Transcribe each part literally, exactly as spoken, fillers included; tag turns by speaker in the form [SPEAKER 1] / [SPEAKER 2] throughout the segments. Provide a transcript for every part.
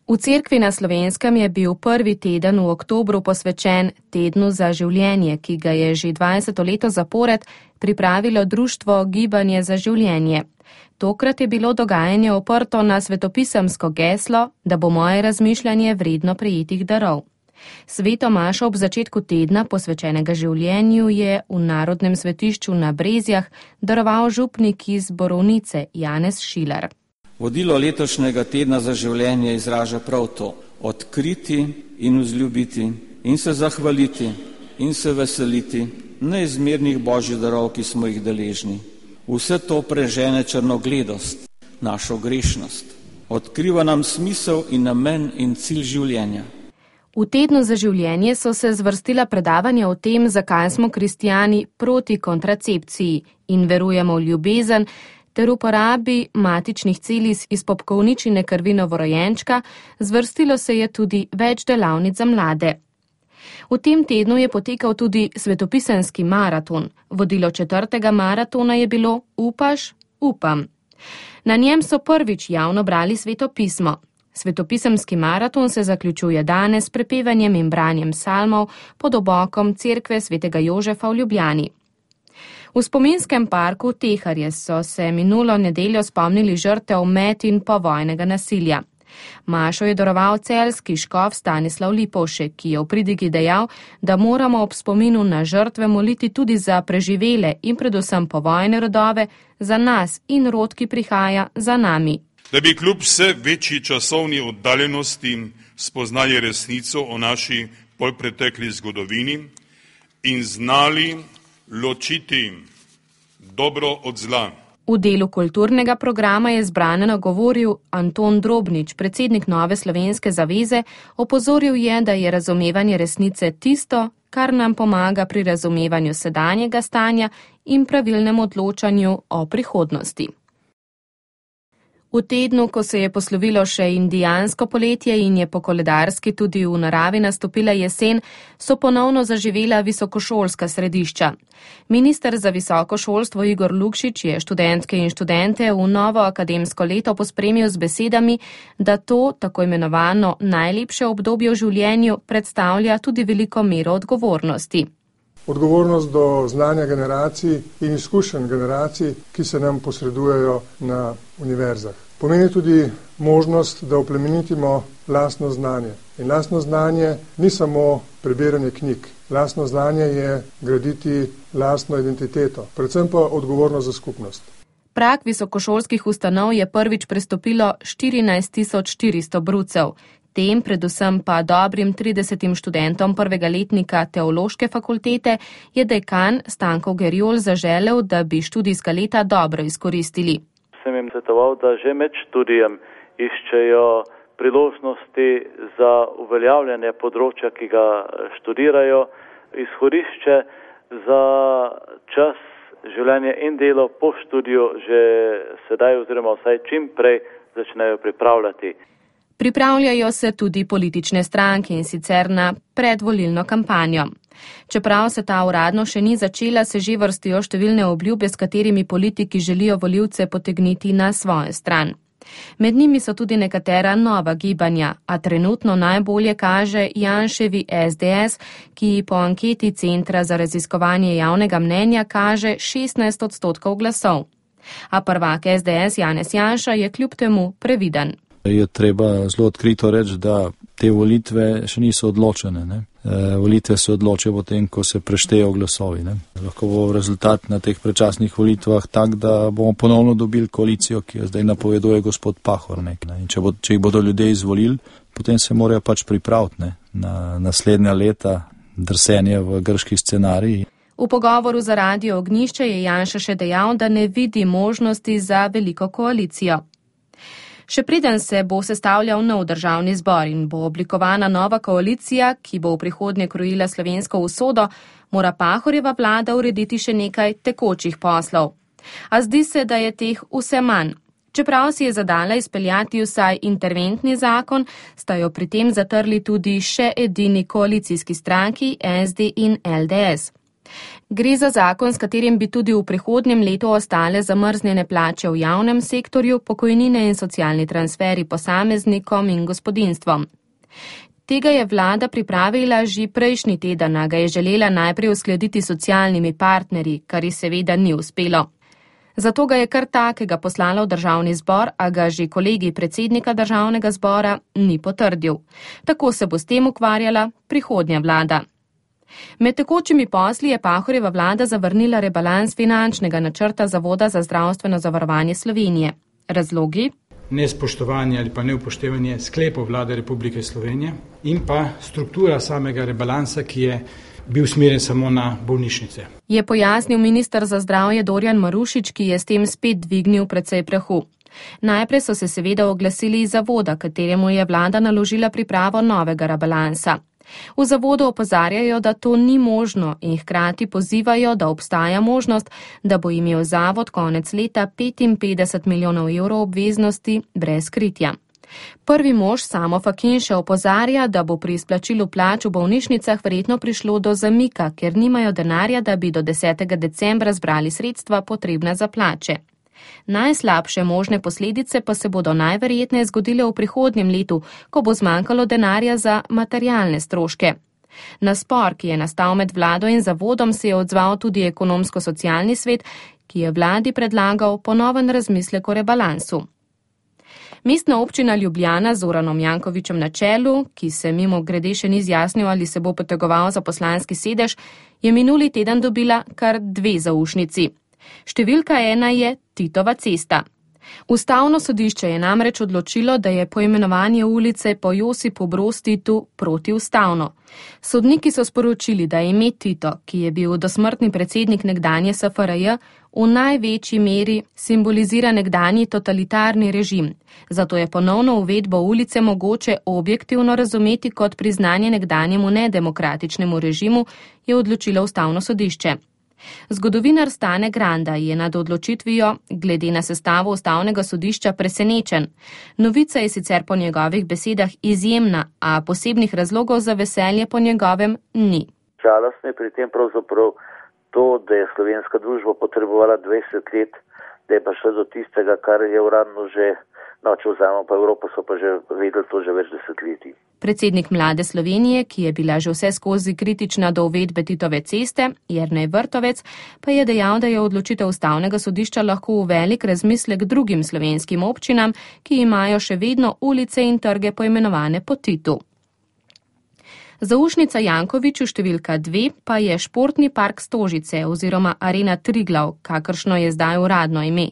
[SPEAKER 1] V cerkvi na Slovenskem je bil prvi teden v oktobru posvečen Tednu za življenje, ki ga je že dvajseto leto zapored pripravilo društvo Gibanje za življenje. Tokrat je bilo dogajanje oprto na svetopisemsko geslo, da bo moje razmišljanje vredno prejetih darov. Sveto mašo ob začetku tedna posvečenega življenju je v Narodnem svetišču na Brezjah daroval župnik iz Borovnice Janez Šilar.
[SPEAKER 2] Vodilo letošnjega tedna za življenje izraža prav to: odkriti in vzljubiti in se zahvaliti in se veseliti neizmernih božjih darov, ki smo jih deležni. Vse to prežene črnogledost, našo grešnost. Odkriva nam smisel in namen in cilj življenja.
[SPEAKER 1] V Tednu za življenje so se zvrstila predavanja o tem, zakaj smo kristijani proti kontracepciji in verujemo v ljubezen, ter uporabi matičnih celic iz popkovničine krvi novorojenčka. Zvrstilo se je tudi več delavnic za mlade. V tem tednu je potekal tudi svetopisemski maraton. Vodilo četrtega maratona je bilo Upaš, upam. Na njem so prvič javno brali sveto pismo. Svetopisemski maraton se zaključuje danes s prepevanjem in branjem psalmov pod obokom cerkve svetega Jožefa v Ljubljani. V spominskem parku Teharje so se minulo nedeljo spomnili žrtev med in povojnega nasilja. Mašo je daroval celjski škof Stanislav Lipovšek, ki je v pridigi dejal, da moramo ob spominu na žrtve moliti tudi za preživele in predvsem povojne rodove, za nas in rod, ki prihaja za nami.
[SPEAKER 3] Da bi kljub vse večji časovni oddaljenosti spoznali resnico o naši polpretekli zgodovini in znali ločiti dobro od zla.
[SPEAKER 1] V delu kulturnega programa je zbrane nagovoril Anton Drobnič, predsednik Nove slovenske zaveze. Opozoril je, da je razumevanje resnice tisto, kar nam pomaga pri razumevanju sedanjega stanja in pravilnem odločanju o prihodnosti. V tednu, ko se je poslovilo še indijansko poletje in je po koledarski tudi v naravi nastopila jesen, so ponovno zaživela visokošolska središča. Minister za visoko šolstvo Igor Lukšič je študentke in študente v novo akademsko leto pospremil z besedami, da to, tako imenovano najlepše obdobje v življenju, predstavlja tudi veliko mero odgovornosti.
[SPEAKER 4] Odgovornost do znanja generacij in izkušenj generacij, ki se nam posredujejo na univerzah. Pomeni tudi možnost, da oplemenitimo lastno znanje. In lastno znanje ni samo prebiranje knjig. Lastno znanje je graditi lastno identiteto, predvsem pa odgovornost za skupnost.
[SPEAKER 1] Prag visokošolskih ustanov je prvič prestopilo štirinajst tisoč štiristo brucev. Tem, predvsem pa dobrim tridesetim študentom prvega letnika teološke fakultete, je dekan Stanko Gerjol zaželel, da bi študijska leta dobro izkoristili.
[SPEAKER 5] Sem jim svetoval, da že med študijem iščejo priložnosti za uveljavljanje področja, ki ga študirajo, izhodišče za čas, življenje in delo po študiju že sedaj oziroma vsaj čim prej začnejo pripravljati.
[SPEAKER 1] Pripravljajo se tudi politične stranke in sicer na predvolilno kampanjo. Čeprav se ta uradno še ni začela, se že vrstijo številne obljube, s katerimi politiki želijo volivce potegniti na svojo stran. Med njimi so tudi nekatera nova gibanja, a trenutno najbolje kaže Janševi S D S, ki po anketi Centra za raziskovanje javnega mnenja kaže šestnajst odstotkov glasov. A prvak S D S Janez Janša je kljub temu previden.
[SPEAKER 6] Je treba zelo odkrito reči, da te volitve še niso odločene. Ne? E, volitve se odločijo potem, ko se preštejo glasovi. Ne? Lahko bo rezultat na teh predčasnih volitvah tak, da bomo ponovno dobili koalicijo, ki jo zdaj napoveduje gospod Pahor. Ne? In če, bo, če jih bodo ljudje izvolili, potem se morajo pač pripraviti ne? Na naslednja leta drsenja v grški scenarij.
[SPEAKER 1] V pogovoru za Radio Ognjišče je Janša še dejal, da ne vidi možnosti za veliko koalicijo. Še preden se bo sestavljal nov državni zbor in bo oblikovana nova koalicija, ki bo v prihodnje krojila slovensko usodo, mora Pahorjeva vlada urediti še nekaj tekočih poslov. A zdi se, da je teh vse manj. Čeprav si je zadala izpeljati vsaj interventni zakon, sta jo pri tem zatrli tudi še edini koalicijski stranki S D in L D S. Gre za zakon, s katerim bi tudi v prihodnjem letu ostale zamrznjene plače v javnem sektorju, pokojnine in socialni transferi posameznikom in gospodinjstvom. Tega je vlada pripravila že prejšnji teden, a ga je želela najprej uskladiti s socialnimi partnerji, kar ji seveda ni uspelo. Zato ga je kar takega poslala v državni zbor, a ga že kolegi predsednika državnega zbora ni potrdil. Tako se bo s tem ukvarjala prihodnja vlada. Med tekočimi posli je Pahorjeva vlada zavrnila rebalans finančnega načrta Zavoda za zdravstveno zavarovanje Slovenije. Razlogi?
[SPEAKER 7] Nespoštovanje ali pa neupoštevanje sklepov vlade Republike Slovenije in pa struktura samega rebalansa, ki je bil usmerjen samo na bolnišnice.
[SPEAKER 1] Je pojasnil minister za zdravje Dorjan Marušič, ki je s tem spet dvignil precej prahu. Najprej so se seveda oglasili iz zavoda, kateremu je vlada naložila pripravo novega rebalansa. V zavodu opozarjajo, da to ni možno in hkrati pozivajo, da obstaja možnost, da bo imel zavod konec leta petinpetdeset milijonov evrov obveznosti brez kritja. Prvi mož Samo Fakin še opozarja, da bo pri izplačilu plač v bolnišnicah verjetno prišlo do zamika, ker nimajo denarja, da bi do desetega decembra zbrali sredstva potrebna za plače. Najslabše možne posledice pa se bodo najverjetneje zgodile v prihodnjem letu, ko bo zmanjkalo denarja za materialne stroške. Na spor, ki je nastal med vlado in zavodom, se je odzval tudi ekonomsko-socialni svet, ki je vladi predlagal ponoven razmislek o rebalansu. Mestna občina Ljubljana z Zoranom Jankovićem na čelu, ki se mimo grede še ni izjasnil, ali se bo potegoval za poslanski sedež, je minuli teden dobila kar dve zaušnici. Številka ena je Titova cesta. Ustavno sodišče je namreč odločilo, da je poimenovanje ulice po Josipu Broz Titu protiustavno. Sodniki so sporočili, da ime Tito, ki je bil dosmrtni predsednik nekdanje S F R J, v največji meri simbolizira nekdanji totalitarni režim. Zato je ponovno uvedbo ulice mogoče objektivno razumeti kot priznanje nekdanjemu nedemokratičnemu režimu, je odločilo Ustavno sodišče. Zgodovinar Stane Granda je nad odločitvijo glede na sestavo Ustavnega sodišča presenečen. Novica je sicer po njegovih besedah izjemna, a posebnih razlogov za veselje po njegovem ni.
[SPEAKER 8] Žalostno je pri tem pravzaprav to, da je slovenska družba potrebovala dvajset let, da je pa šlo do tistega, kar je uradno že, no, če vzamemo pa Evropo, so pa že vedeli to že več desetletij.
[SPEAKER 1] Predsednik Mlade Slovenije, ki je bila že vse skozi kritična do uvedbe Titove ceste, Jernej Vrtovec, pa je dejal, da je odločitev Ustavnega sodišča lahko v velik razmislek drugim slovenskim občinam, ki imajo še vedno ulice in trge poimenovane po Titu. Zaušnica Jankoviću številka dve pa je Športni park Stožice oziroma Arena Triglav, kakršno je zdaj uradno ime.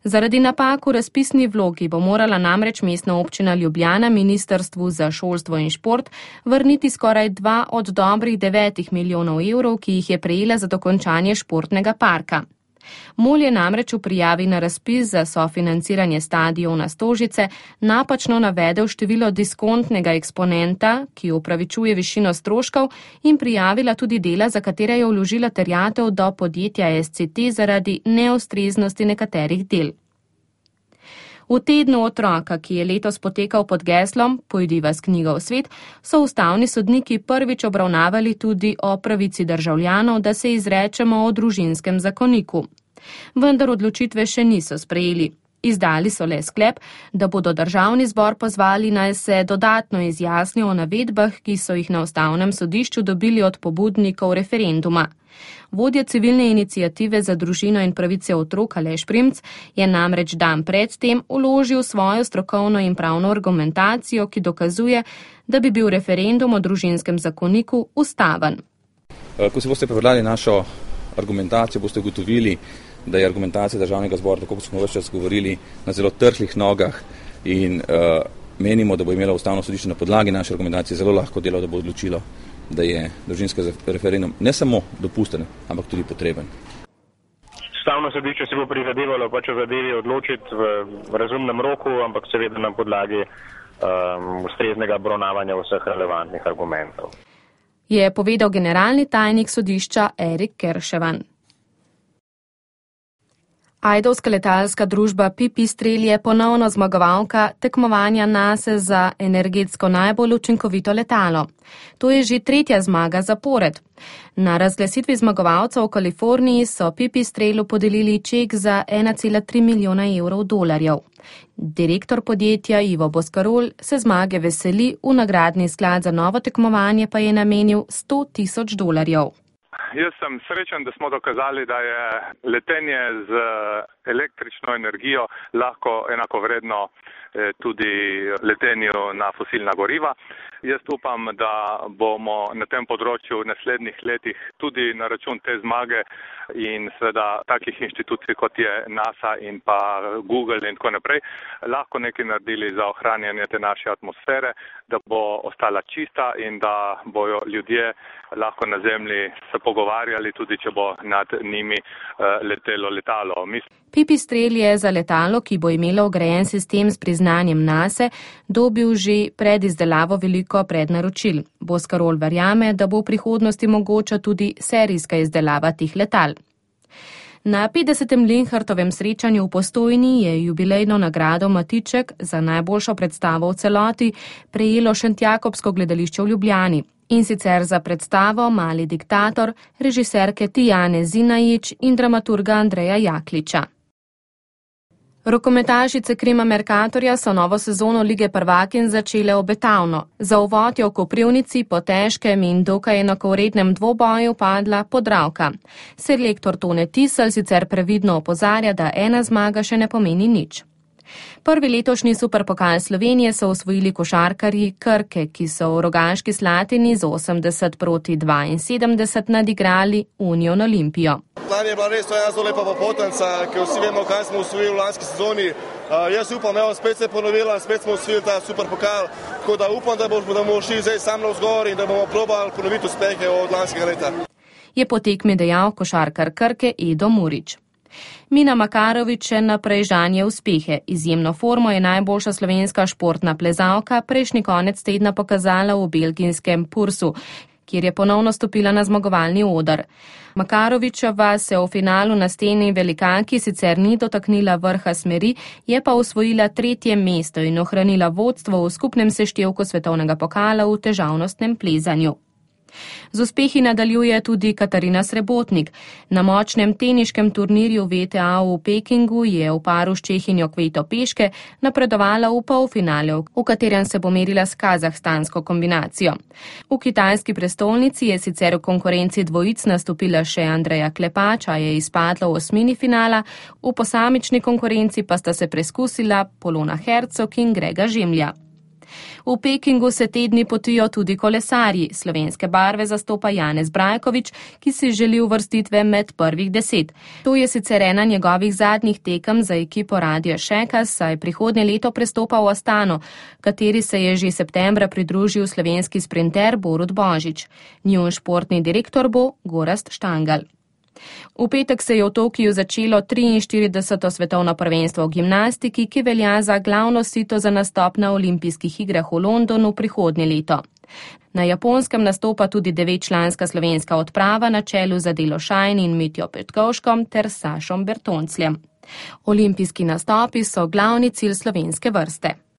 [SPEAKER 1] Zaradi napak v razpisni vlogi bo morala namreč Mestna občina Ljubljana Ministrstvu za šolstvo in šport vrniti skoraj dva od dobrih devetih milijonov evrov, ki jih je prejela za dokončanje športnega parka. Mol je namreč v prijavi na razpis za sofinanciranje stadiona Stožice napačno navedel število diskontnega eksponenta, ki upravičuje višino stroškov, in prijavila tudi dela, za katere je vložila terjatev do podjetja S C T zaradi neustreznosti nekaterih del. V tednu otroka, ki je letos potekal pod geslom Pojdiva s knjigo v svet, so ustavni sodniki prvič obravnavali tudi o pravici državljanov, da se izrečemo o družinskem zakoniku. Vendar odločitve še niso sprejeli. Izdali so le sklep, da bodo državni zbor pozvali naj se dodatno izjasnijo o navedbah, ki so jih na Ustavnem sodišču dobili od pobudnikov referenduma. Vodja civilne iniciative za družino in pravice otrok Aleš Primc je namreč dan pred tem vložil svojo strokovno in pravno argumentacijo, ki dokazuje, da bi bil referendum o družinskem zakoniku ustaven.
[SPEAKER 9] Ko si boste prebrali našo argumentacijo, boste ugotovili, da je argumentacija državnega zbora, tako kot smo več čas govorili, na zelo trhlih nogah in uh, menimo, da bo imelo Ustavno sodišče na podlagi naše argumentacije zelo lahko delo, da bo odločilo, da je družinski referendum ne samo dopusten, ampak tudi potreben.
[SPEAKER 10] Ustavno sodišče se bo prizadevalo pač o zadevi odločiti v razumnem roku, ampak seveda na podlagi um, ustreznega obravnavanja vseh relevantnih argumentov.
[SPEAKER 1] Je povedal generalni tajnik sodišča Erik Kerševan. Ajdovska letalska družba Pipistrel je ponovno zmagovalka tekmovanja NASA za energetsko najbolj učinkovito letalo. To je že tretja zmaga zapored. Na razglasitvi zmagovalcev v Kaliforniji so Pipistrelu podelili ček za ena cela tri milijona evrov dolarjev. Direktor podjetja Ivo Boscarol se zmage veseli, v nagradni sklad za novo tekmovanje pa je namenil sto tisoč dolarjev.
[SPEAKER 11] Jaz sem srečen, da smo dokazali, da je letenje z električno energijo lahko enakovredno tudi letenju na fosilna goriva. Jaz upam, da bomo na tem področju v naslednjih letih tudi na račun te zmage in seveda takih inštitucij, kot je NASA in pa Google in tako naprej, lahko nekaj naredili za ohranjanje te naše atmosfere, da bo ostala čista in da bojo ljudje lahko na Zemlji se pogovarjali, tudi če bo nad njimi letelo letalo. Mislim,
[SPEAKER 1] Pipistrel je za letalo, ki bo imelo vgrajen sistem s priznanjem NASA, dobil že pred izdelavo veliko prednaročil. Boscarol verjame, da bo v prihodnosti mogoča tudi serijska izdelava teh letal. Na petdesetem Linhartovem srečanju v Postojni je jubilejno nagrado Matiček za najboljšo predstavo v celoti prejelo Šentjakobsko gledališče v Ljubljani. In sicer za predstavo Mali diktator režiserke Tijane Zinajić in dramaturga Andreja Jakliča. Rokometašice Krima Mercatorja so novo sezono Lige prvakinj začele obetavno. Za uvod je v Koprivnici po težkem in dokaj enakovrednem dvoboju padla Podravka. Selektor Tone Tisel sicer previdno opozarja, da ena zmaga še ne pomeni nič. Prvi letošnji superpokal Slovenije so osvojili košarkarji Krke, ki so v Rogaški Slatini z osemdeset proti dvainsedemdeset nadigrali Union Olimpijo.
[SPEAKER 12] Lani je bila res to ena zelo lepa popotnica, ker vsi vemo, kaj smo osvojili v lanski sezoni. Uh, jaz upam, evo, spet se je ponovila, spet smo osvojili ta superpokal, tako da upam, da bomo, da bomo šli zdaj sam navzgor in da bomo probali ponoviti uspehe od lanskega leta.
[SPEAKER 1] Je po tekmi dejal košarkar Krke Edo Murić. Mina Makarovič še naprej žanje uspehe. Izjemno formo je najboljša slovenska športna plezalka prejšnji konec tedna pokazala v belgijskem Pursu, kjer je ponovno stopila na zmagovalni oder. Makarovičeva se v finalu na steni velikanki sicer ni dotaknila vrha smeri, je pa osvojila tretje mesto in ohranila vodstvo v skupnem seštevku svetovnega pokala v težavnostnem plezanju. Z uspehi nadaljuje tudi Katarina Srebotnik. Na močnem teniškem turnirju V T A v Pekingu je v paru s Čehinjo Kveto Peške napredovala v polfinale, v katerem se bo merila s kazahstansko kombinacijo. V kitajski prestolnici je sicer v konkurenci dvojic nastopila še Andreja Klepač, a je izpadla v osmini finala, v posamični konkurenci pa sta se preskusila Polona Hercog in Grega Žemlja. V Pekingu se te dni potijo tudi kolesarji. Slovenske barve zastopa Janez Brajkovič, ki si želi uvrstitve med prvih deset. To je sicer ena njegovih zadnjih tekem za ekipo Radio Šeka, saj prihodnje leto prestopa v Astano, kateri se je že septembra pridružil slovenski sprinter Borut Božič. Njun športni direktor bo Gorazd Štangal. V petek se je v Tokiju začelo triinštirideseto svetovno prvenstvo v gimnastiki, ki velja za glavno sito za nastop na olimpijskih igrah v Londonu prihodnje leto. Na Japonskem nastopa tudi devetčlanska slovenska odprava na čelu z Adelo Šajn in Mitjo Petkovškom ter Sašom Bertoncljem. Olimpijski nastopi so glavni cilj slovenske vrste.